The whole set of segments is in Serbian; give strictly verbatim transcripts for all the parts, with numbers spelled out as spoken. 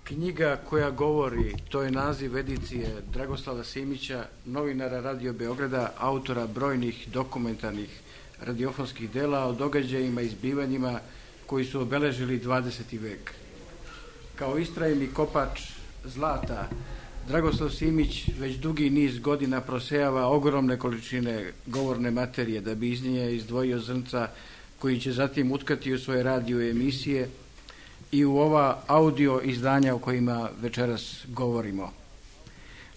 Knjiga koja govori, to je naziv edicije Dragoslava Simića, novinara Radio Beograda, autora brojnih dokumentarnih radiofonskih dela o događajima i zbivanjima koji su obeležili dvadeseti vek. Kao istrajni kopač zlata, Dragoslav Simić već dugi niz godina prosejava ogromne količine govorne materije da bi iz nje izdvojio zrnca koji će zatim utkati u svoje radio emisije i u ova audio izdanja o kojima večeras govorimo.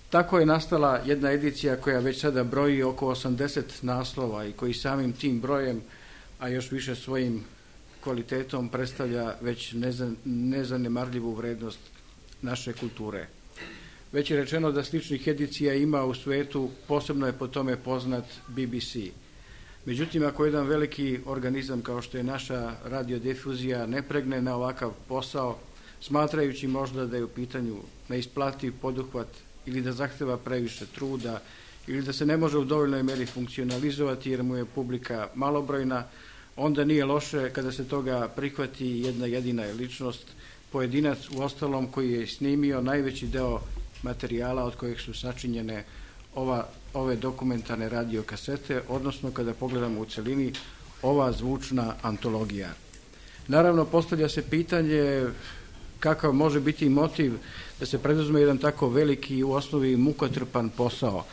Tako je nastala jedna edicija koja već sada broji oko osamdeset naslova i koji samim tim brojem, a još više svojim kvalitetom, predstavlja već nezanemarljivu vrednost naše kulture. Već je rečeno da sličnih edicija ima u svetu, posebno je po tome poznat B B C. Međutim, ako jedan veliki organizam kao što je naša radiodifuzija ne pregne na ovakav posao, smatrajući možda da je u pitanju neisplativ poduhvat ili da zahteva previše truda ili da se ne može u dovoljnoj meri funkcionalizovati jer mu je publika malobrojna, onda nije loše kada se toga prihvati jedna jedina ličnost, pojedinac u ostalom koji je snimio najveći deo materijala od kojeg su sačinjene ova, ove dokumentarne radio kasete, odnosno kada pogledamo u celini ova zvučna antologija. Naravno, postavlja se pitanje kakav može biti motiv da se preduzme jedan tako veliki i u osnovi mukotrpan posao.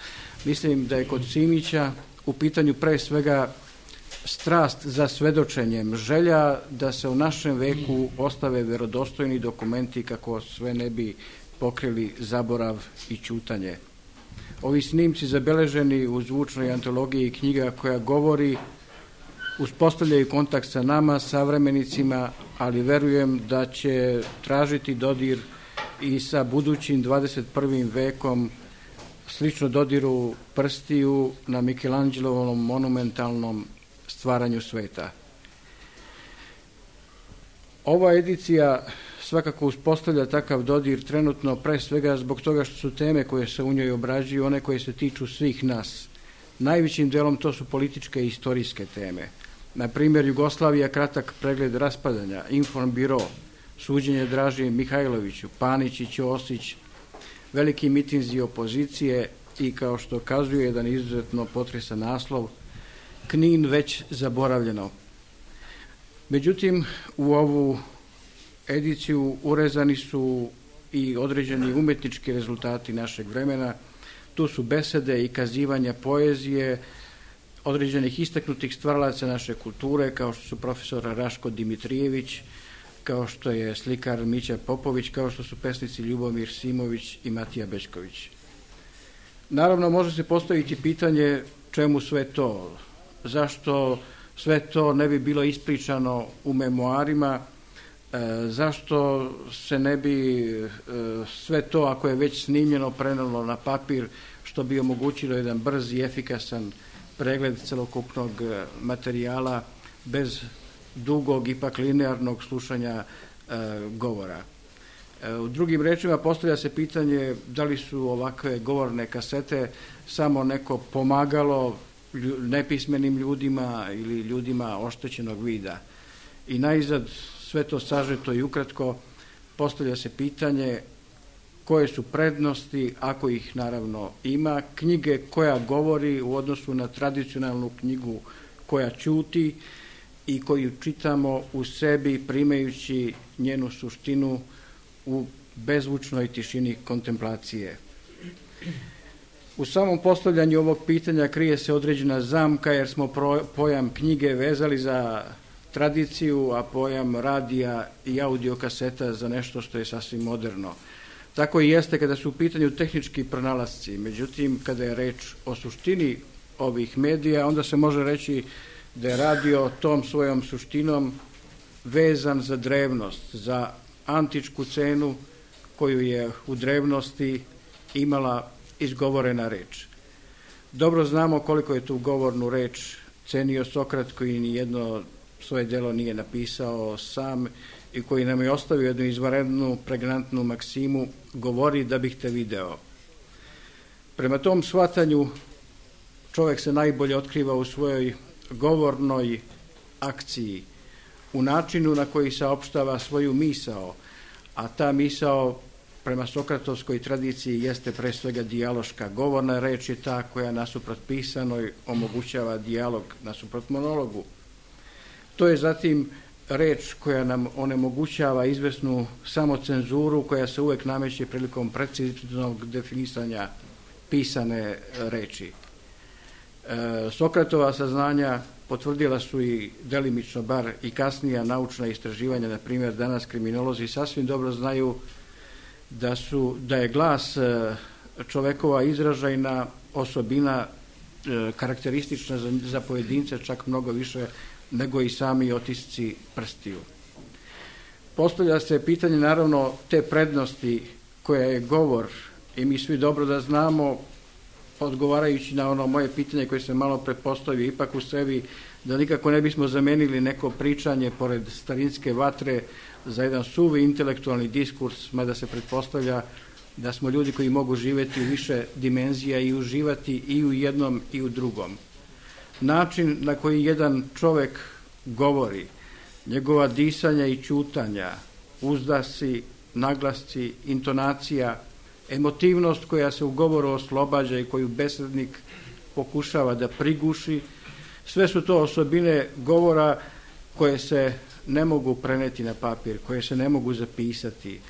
Mislim da je kod Simića u pitanju pre svega strast za svedočenjem, želja da se u našem veku ostave verodostojni dokumenti kako sve ne bi pokrili zaborav i ćutanje. Ovi snimci zabeleženi u zvučnoj antologiji knjiga koja govori uspostavljaju kontakt sa nama, savremenicima, ali verujem da će tražiti dodir i sa budućim dvadeset prvim vekom, slično dodiru prstiju na Michelangelovom monumentalnom stvaranju sveta. Ova edicija svakako uspostavlja takav dodir trenutno pre svega zbog toga što su teme koje se u njoj obrađuju one koje se tiču svih nas. Najvećim delom to su političke i istorijske teme. Na primjer, Jugoslavija, kratak pregled raspadanja, Informbiro, suđenje Draži Mihajloviću, Panić i Ćosić, veliki mitinzi opozicije i, kao što kazuje jedan izuzetno potresan naslov, Knin već zaboravljeno. Međutim, u ovu ediciju urezani su i određeni umetnički rezultati našeg vremena. Tu su besede i kazivanja poezije određenih istaknutih stvaralaca naše kulture, kao što su profesor Raško Dimitrijević, kao što je slikar Mića Popović, kao što su pesnici Ljubomir Simović i Matija Bećković. Naravno, može se postaviti pitanje čemu sve to, zašto sve to ne bi bilo ispričano u memoarima, e, zašto se ne bi e, sve to, ako je već snimljeno, prenelo na papir, što bi omogućilo jedan brz i efikasan pregled celokupnog materijala bez dugog, ipak linearnog slušanja e, govora. E, u drugim rečima postavlja se pitanje da li su ovakve govorne kasete samo neko pomagalo nepismenim ljudima ili ljudima oštećenog vida. I najzad, sve to sažeto i ukratko, postavlja se pitanje koje su prednosti, ako ih naravno ima, knjige koja govori u odnosu na tradicionalnu knjigu koja ćuti i koju čitamo u sebi primajući njenu suštinu u bezvučnoj tišini kontemplacije. U samom postavljanju ovog pitanja krije se određena zamka jer smo pojam knjige vezali za tradiciju, a pojam radija i audiokaseta za nešto što je sasvim moderno. Tako i jeste kada su u pitanju tehnički pronalasci. Međutim, kada je reč o suštini ovih medija, onda se može reći da je radio tom svojom suštinom vezan za drevnost, za antičku cenu koju je u drevnosti imala izgovorena reč. Dobro znamo koliko je tu govornu reč cenio Sokrat, koji ni jedno svoje delo nije napisao sam i koji nam je ostavio jednu izvanrednu, pregnantnu maksimu: govori da bih te video. Prema tom shvatanju čovek se najbolje otkriva u svojoj govornoj akciji, u načinu na koji saopštava svoju misao, a ta misao prema sokratovskoj tradiciji jeste pre svega dijaloška. Govorna reč je ta koja nasuprot pisanoj omogućava dijalog nasuprot monologu. To je zatim reč koja nam onemogućava izvesnu samocenzuru koja se uvek nameće prilikom preciznog definisanja pisane reči. E, Sokratova saznanja potvrdila su i delimično bar i kasnija naučna istraživanja, na primjer danas kriminolozi sasvim dobro znaju da, su, da je glas čovekova izražajna osobina e, karakteristična za, za pojedince čak mnogo više nego i sami otisci prstiju. Postavlja se pitanje naravno te prednosti koja je govor i mi svi dobro da znamo, odgovarajući na ono moje pitanje koje se malo prepostavio ipak u sebi, da nikako ne bismo zamenili neko pričanje pored starinske vatre za jedan suvi intelektualni diskurs, mada se pretpostavlja da smo ljudi koji mogu živjeti u više dimenzija i uživati i u jednom i u drugom. Način na koji jedan čovek govori, njegova disanja i ćutanja, uzdasi, naglasci, intonacija, emotivnost koja se u govoru oslobađa i koju besednik pokušava da priguši, sve su to osobine govora koje se ne mogu preneti na papir, koje se ne mogu zapisati,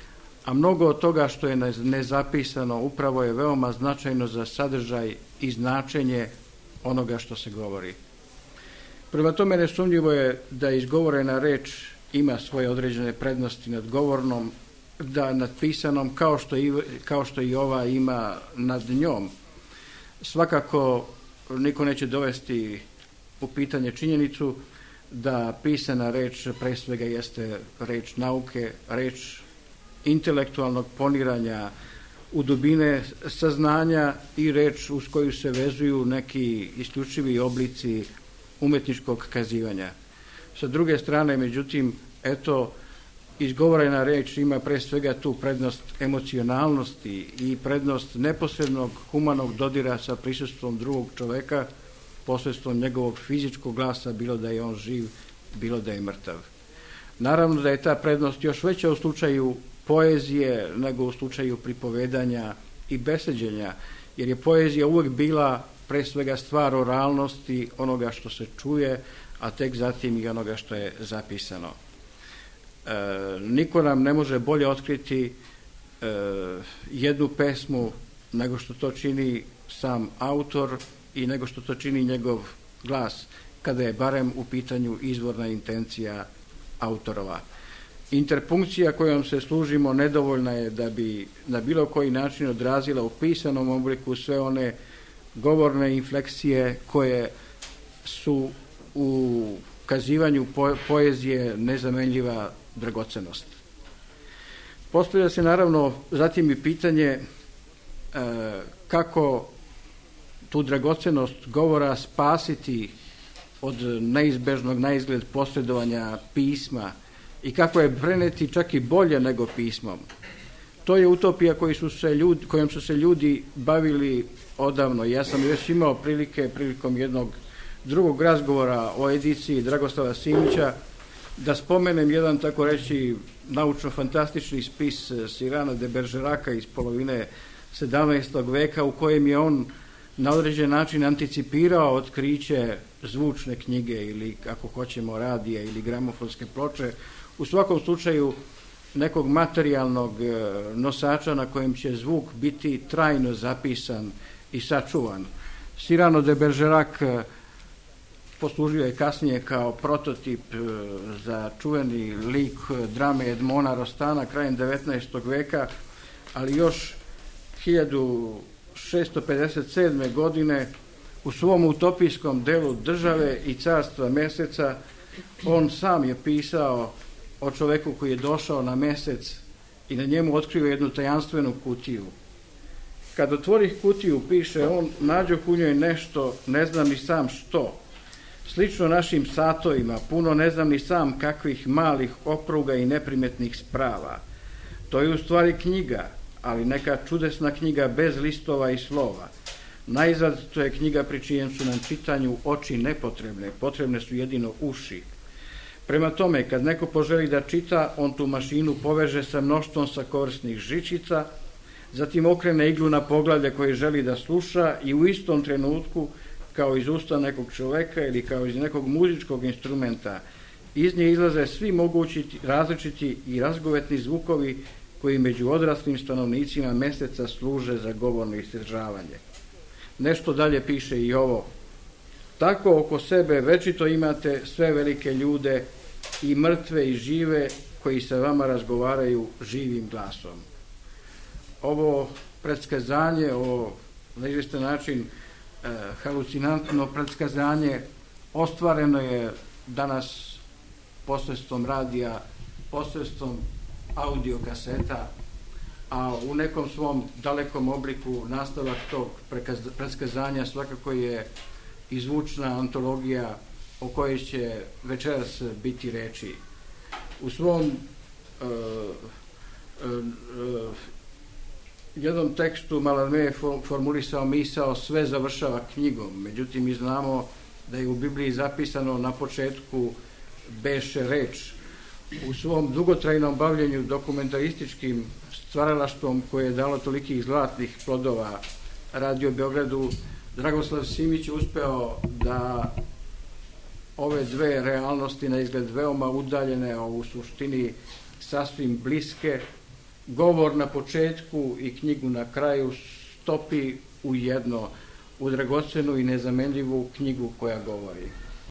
a mnogo od toga što je nezapisano upravo je veoma značajno za sadržaj i značenje onoga što se govori. Prema tome nesumnjivo je da izgovorena reč ima svoje određene prednosti nad govornom, da nad pisanom kao što, i, kao što i ova ima nad njom. Svakako niko neće dovesti u pitanje činjenicu da pisana reč pre svega jeste reč nauke, reč intelektualnog poniranja u dubine saznanja i reč uz koju se vezuju neki isključivi oblici umetničkog kazivanja. Sa druge strane, međutim, eto, izgovorena reč ima pre svega tu prednost emocionalnosti i prednost neposrednog humanog dodira sa prisustvom drugog čoveka, posredstvom njegovog fizičkog glasa, bilo da je on živ, bilo da je mrtav. Naravno da je ta prednost još veća u slučaju poezije nego u slučaju pripovedanja i beseđenja, jer je poezija uvek bila pre svega stvar oralnosti onoga što se čuje, a tek zatim i onoga što je zapisano. E, niko nam ne može bolje otkriti e, jednu pesmu nego što to čini sam autor i nego što to čini njegov glas, kada je barem u pitanju izvorna intencija autorova. Interpunkcija kojom se služimo nedovoljna je da bi na bilo koji način odrazila u pisanom obliku sve one govorne infleksije koje su u kazivanju po poezije nezamenljiva dragocenost. Postavlja se naravno zatim i pitanje e, kako tu dragocenost govora spasiti od neizbežnog na izgled posredovanja pisma i kako je preneti čak i bolje nego pismom. To je utopija koji su se ljudi, kojom su se ljudi bavili odavno. Ja sam još imao prilike prilikom jednog drugog razgovora o ediciji Dragoslava Simića da spomenem jedan, tako reći, naučno-fantastični spis Cyrana de Bergeraka iz polovine sedamnaestog veka u kojem je on na određen način anticipirao otkriće zvučne knjige ili, ako hoćemo, radija ili gramofonske ploče, u svakom slučaju nekog materijalnog nosača na kojem će zvuk biti trajno zapisan i sačuvan. Cyrano de Bergerac poslužio je kasnije kao prototip za čuveni lik drame Edmona Rostana krajem devetnaestog veka, ali još hiljadu šesto pedeset sedme. godine u svom utopijskom delu Države i carstva meseca on sam je pisao o čoveku koji je došao na mesec i na njemu otkrio jednu tajanstvenu kutiju. Kad otvorih kutiju, piše on, nađoh u njoj nešto, ne znam ni sam što. Slično našim satovima, puno ne znam ni sam kakvih malih opruga i neprimetnih sprava. To je u stvari knjiga, ali neka čudesna knjiga bez listova i slova. Najzad to je knjiga pri čijem su nam čitanju oči nepotrebne, potrebne su jedino uši. Prema tome, kad neko poželi da čita, on tu mašinu poveže sa mnoštvom sakorsnih žičica, zatim okrene iglu na poglavlje koje želi da sluša i u istom trenutku, kao iz usta nekog čoveka ili kao iz nekog muzičkog instrumenta, iz nje izlaze svi mogući različiti i razgovetni zvukovi koji među odraslim stanovnicima meseca služe za govorno izdržavanje. Nešto dalje piše i ovo. Tako oko sebe večito imate sve velike ljude, i mrtve i žive, koji sa vama razgovaraju živim glasom. Ovo predskazanje, ovo na izvestan način e, halucinantno predskazanje ostvareno je danas posredstvom radija, posredstvom audio kaseta, a u nekom svom dalekom obliku nastavak tog predskazanja svakako je i zvučna antologija o kojoj će večeras biti reči. U svom uh, uh, uh, jednom tekstu Mallarmé je formulisao misao sve završava knjigom, međutim mi znamo da je u Bibliji zapisano na početku beše reč. U svom dugotrajnom bavljenju dokumentarističkim stvaralaštvom koje je dalo tolikih zlatnih plodova Radio Beogradu, Dragoslav Simić uspeo da ove dve realnosti, na izgled veoma udaljene, a u suštini sasvim bliske, govor na početku i knjigu na kraju stopi u jedno, u dragocenu i nezamenljivu knjigu koja govori.